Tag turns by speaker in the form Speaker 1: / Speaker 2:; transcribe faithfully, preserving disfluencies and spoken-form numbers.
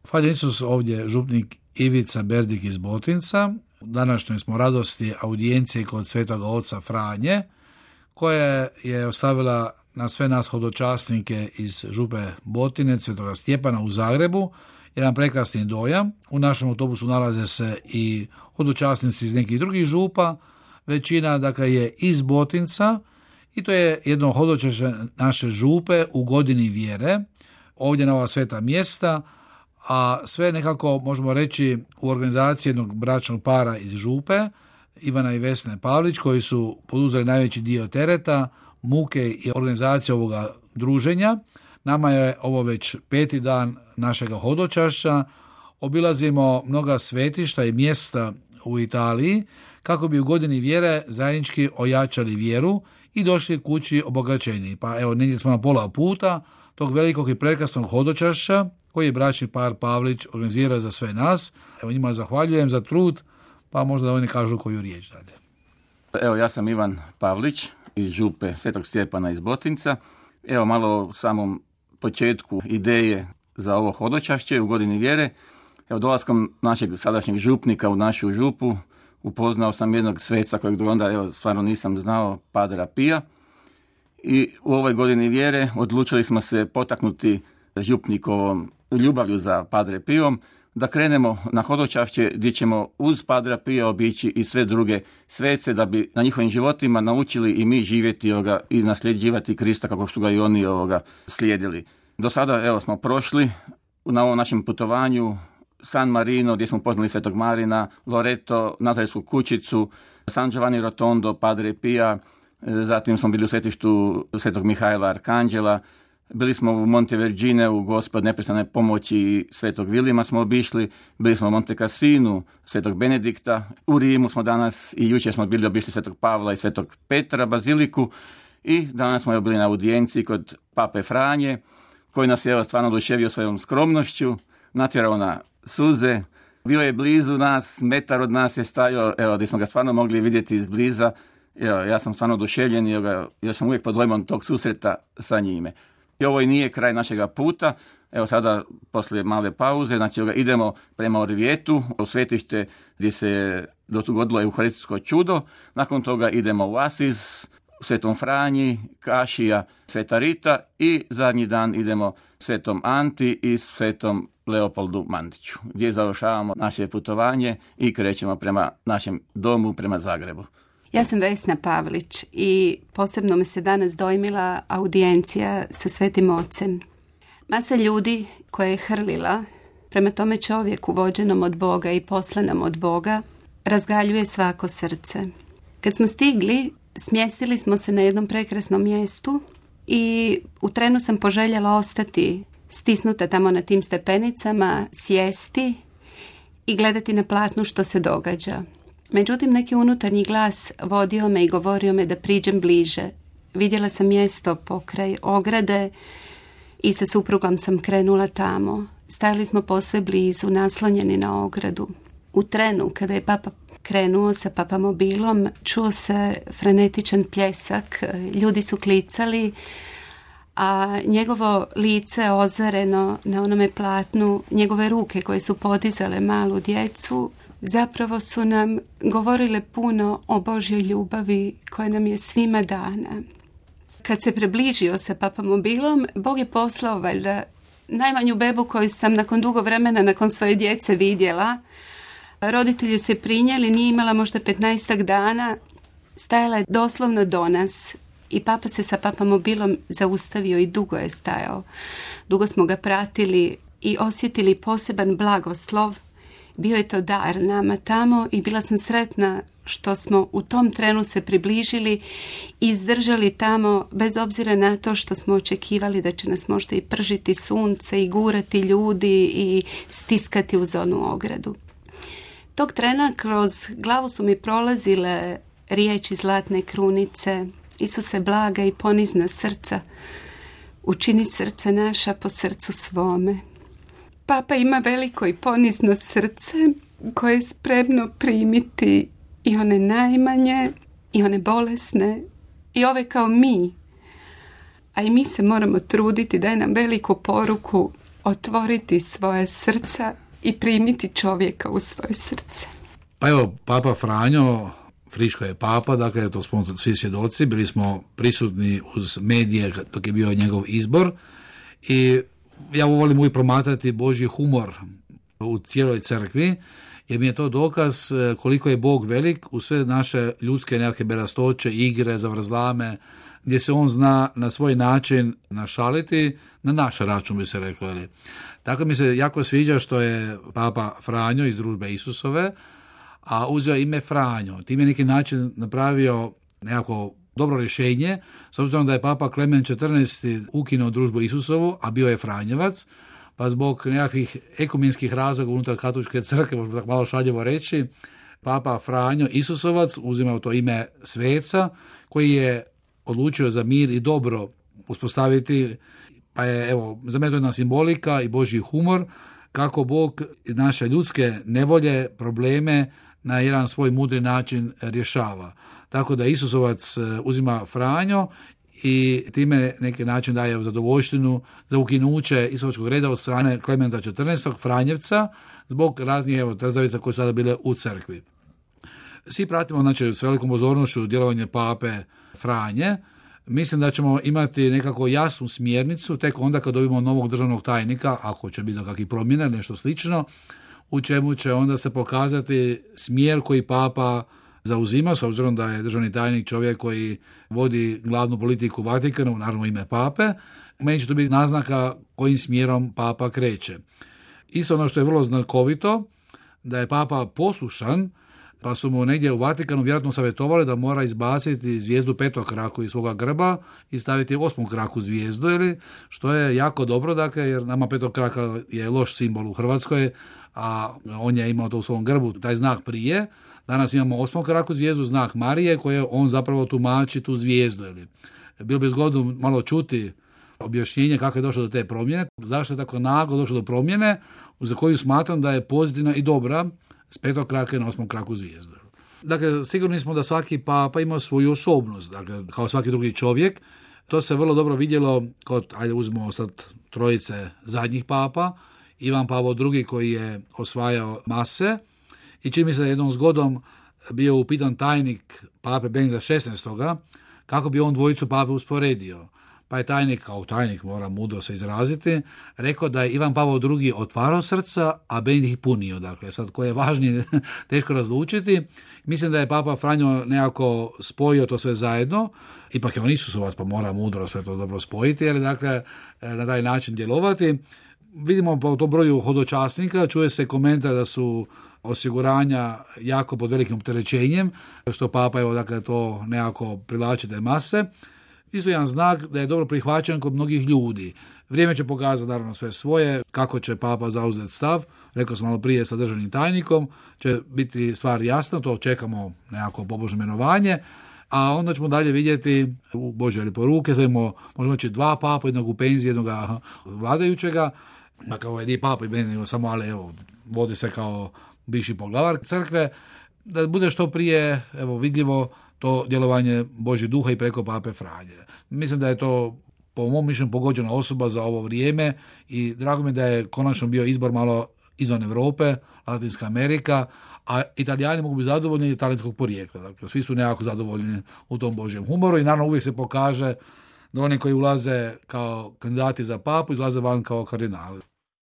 Speaker 1: Hvala Isus, ovdje župnik Ivica Berdik iz Botinca. U današnjoj smo radosti audijencije kod svetoga oca Franje, koja je ostavila na sve nas hodočasnike iz župe Botinec, svetoga Stjepana u Zagrebu, jedan prekrasni dojam. U našem autobusu nalaze se i hodočasnici iz nekih drugih župa, većina dakle je iz Botinca i to je jedno hodočašće naše župe u godini vjere, ovdje na ova sveta mjesta, a sve nekako možemo reći u organizaciji jednog bračnog para iz župe, Ivana i Vesne Pavlić, koji su poduzeli najveći dio tereta, muke i organizacije ovoga druženja. Nama je ovo već peti dan našega hodočašća. Obilazimo mnoga svetišta i mjesta u Italiji kako bi u godini vjere zajednički ojačali vjeru i došli kući obogaćeni. Pa evo, negdje smo na pola puta tog velikog i prekrasnog hodočašća koji je bračni par Pavlić organizirao za sve nas. Evo, njima zahvaljujem za trud, pa možda da oni kažu koju riječ dalje.
Speaker 2: Evo, ja sam Ivan Pavlić iz župe Svetog Stjepana iz Botinca. Evo malo u samom početku ideje za ovo hodočašće u godini vjere. Evo, dolaskom našeg sadašnjeg župnika u našu župu upoznao sam jednog sveca kojeg do onda evo, stvarno nisam znao, Padra Pija. I u ovoj godini vjere odlučili smo se potaknuti župnikovom ljubavlju za Padre Pijom, da krenemo na hodočašće gdje ćemo uz Padra Pija obići i sve druge svece, da bi na njihovim životima naučili i mi živjeti ovoga, i nasljeđivati Krista kako su ga i oni ovoga, slijedili. Do sada evo, smo prošli na ovom našem putovanju San Marino, gdje smo poznali Svetog Marina, Loreto, Nazaretsku kućicu, San Giovanni Rotondo, Padre Pija, zatim smo bili u svetištu Svetog Mihajla Arkanđela, bili smo u Montevergine, u Gospod neprestane pomoći Svetog Vilima smo obišli, bili smo u Monte Cassinu, Svetog Benedikta, u Rimu smo danas i jučer smo bili obišli Svetog Pavla i Svetog Petra, baziliku, i danas smo bili na audijenciji kod Pape Franje, koji nas je evo, stvarno oduševio svojom skromnošću, natjerao na suze, bio je blizu nas, metar od nas je stajao, evo, gdje smo ga stvarno mogli vidjeti izbliza. Evo, ja sam stvarno oduševljen i ja sam uvijek pod dojmom tog susreta sa njime. I ovo i nije kraj našega puta. Evo sada, poslije male pauze, znači idemo prema Orvietu, u svetište gdje se dogodilo euharistijsko čudo. Nakon toga idemo u Asiz, u Svetom Franji, Kašija, Sveta Rita i zadnji dan idemo Svetom Anti i Svetom Leopoldu Mandiću, gdje završavamo naše putovanje i krećemo prema našem domu, prema Zagrebu.
Speaker 3: Ja sam Vesna Pavlić i posebno me se danas dojmila audijencija sa Svetim Ocem. Masa ljudi koja je hrlila prema tome čovjeku vođenom od Boga i poslanom od Boga razgaljuje svako srce. Kad smo stigli, smjestili smo se na jednom prekrasnom mjestu i u trenu sam poželjela ostati stisnuta tamo na tim stepenicama, sjesti i gledati na platnu što se događa. Međutim, neki unutarnji glas vodio me i govorio me da priđem bliže. Vidjela sam mjesto pokraj ograde i sa suprugom sam krenula tamo. Stajali smo posve blizu, naslonjeni na ogradu. U trenu, kada je papa krenuo sa papamobilom, čuo se frenetičan pljesak, ljudi su klicali, a njegovo lice ozareno na onome platnu, njegove ruke koje su podizale malu djecu, zapravo su nam govorile puno o Božjoj ljubavi koja nam je svima dana. Kad se približio sa papamobilom, Bog je poslao valjda najmanju bebu koju sam nakon dugo vremena, nakon svoje djece vidjela. Roditelji se prinijeli, nije imala možda petnaestak dana, stajala je doslovno do nas i papa se sa papamobilom zaustavio i dugo je stajao. Dugo smo ga pratili i osjetili poseban blagoslov. Bio je to dar nama tamo i bila sam sretna što smo u tom trenu se približili i izdržali tamo bez obzira na to što smo očekivali da će nas možda i pržiti sunce i gurati ljudi i stiskati uz onu ogradu. Tog trena kroz glavu su mi prolazile riječi zlatne krunice: Isuse blaga i ponizna srca, učini srca naša po srcu svome. Papa ima veliko i ponizno srce koje je spremno primiti i one najmanje, i one bolesne, i ove kao mi. A i mi se moramo truditi, daje nam veliku poruku otvoriti svoje srca i primiti čovjeka u svoje srce.
Speaker 1: Pa evo, Papa Franjo, friško je papa, dakle, to smo svi svjedoci, bili smo prisutni uz medije dok je bio njegov izbor i ja volim uvijek promatrati Božji humor u cijeloj crkvi, jer mi je to dokaz koliko je Bog velik u sve naše ljudske nekakve berastoće, igre, zavrzlame, gdje se on zna na svoj način našaliti, na naš račun bi se reklo. Ali. Tako mi se jako sviđa što je Papa Franjo iz Družbe Isusove, a uzeo ime Franjo. Tim je neki način napravio nekako dobro rješenje, s obzirom da je Papa Klemen četrnaesti ukinuo Družbu Isusovu, a bio je Franjevac, pa zbog nekakvih ekumenskih razloga unutar katoličke crkve, možemo tako malo šaljivo reći, Papa Franjo Isusovac uzimao to ime sveca, koji je odlučio za mir i dobro uspostaviti, pa je, evo, za mene to jedna simbolika i Božji humor, kako Bog naše ljudske nevolje, probleme na jedan svoj mudri način rješava. Tako da Isusovac uzima Franjo i time neki način daje zadovoljštinu za ukinuće Isusovačkog reda od strane Klementa četrnaestog Franjevca zbog raznih evo, trzavica koje su sada bile u crkvi. Svi pratimo, znači, s velikom pozornošću djelovanje pape Franje. Mislim da ćemo imati nekako jasnu smjernicu tek onda kad dobimo novog državnog tajnika, ako će biti do kakvih promjena, nešto slično, u čemu će onda se pokazati smjer koji papa zauzima, s obzirom da je državni tajnik čovjek koji vodi glavnu politiku Vatikana, naravno ime pape, meni će to biti naznaka kojim smjerom papa kreće. Isto ono što je vrlo znakovito, da je papa poslušan, pa su mu negdje u Vatikanu vjerojatno savjetovali da mora izbaciti zvijezdu petokraku iz svoga grba i staviti osmokraku zvijezdu, ili, što je jako dobro, dakle, jer nama petokraka je loš simbol u Hrvatskoj, a on je imao to u svom grbu, taj znak prije. Danas imamo osmokraku zvijezdu, znak Marije, koje on zapravo tumači tu zvijezdu. Ili. Bilo bi zgodno malo čuti objašnjenje kako je došlo do te promjene, zašto je tako naglo došlo do promjene, za koju smatram da je pozitivna i dobra, s petokrake na osmokraku zvijezdu. Dakle, sigurni smo da svaki papa ima svoju osobnost, dakle, kao svaki drugi čovjek. To se vrlo dobro vidjelo kod, ajde uzmemo sad trojice zadnjih papa, Ivan Pavao drugi koji je osvajao mase i čini mi se da jednom zgodom bio upitan tajnik pape Benedikta šesnaestoga kako bi on dvojicu pape usporedio. Pa je tajnik, kao tajnik mora mudro se izraziti, rekao da je Ivan Pavao drugi otvarao srca, a Benedikt ih punio. Dakle, sad koje je važnije teško razlučiti. Mislim da je Papa Franjo nekako spojio to sve zajedno, ipak je on Isusovac, pa mora mudro sve to dobro spojiti, jer dakle na taj način djelovati. Vidimo po tom broju hodočasnika, čuje se komentar da su osiguranja jako pod velikim opterećenjem, što Papa evo dakle to nekako privlači te mase. Isto jedan znak da je dobro prihvaćen kod mnogih ljudi. Vrijeme će pokazati naravno sve svoje, kako će papa zauzeti stav, rekao sam malo prije sa državnim tajnikom, će biti stvar jasna, to čekamo nekako pobožno imenovanje, a onda ćemo dalje vidjeti u Božje lijepe ruke, znamo, možemoći dva papa, jednog u penziji, jednog vladajućega, dakle ovo je nije papa i meni, samo ali evo, vodi se kao bivši poglavar crkve, da bude što prije evo, vidljivo to djelovanje Božjeg duha i preko pape Franje. Mislim da je to po mom mišljenju pogođena osoba za ovo vrijeme i drago mi da je konačno bio izbor malo izvan Europe, Latinska Amerika, a Italijani mogu biti zadovoljni talijanskog porijekla. Dakle, svi su nekako zadovoljni u tom Božjem humoru i naravno uvijek se pokaže da oni koji ulaze kao kandidati za papu izlaze van kao kardinali.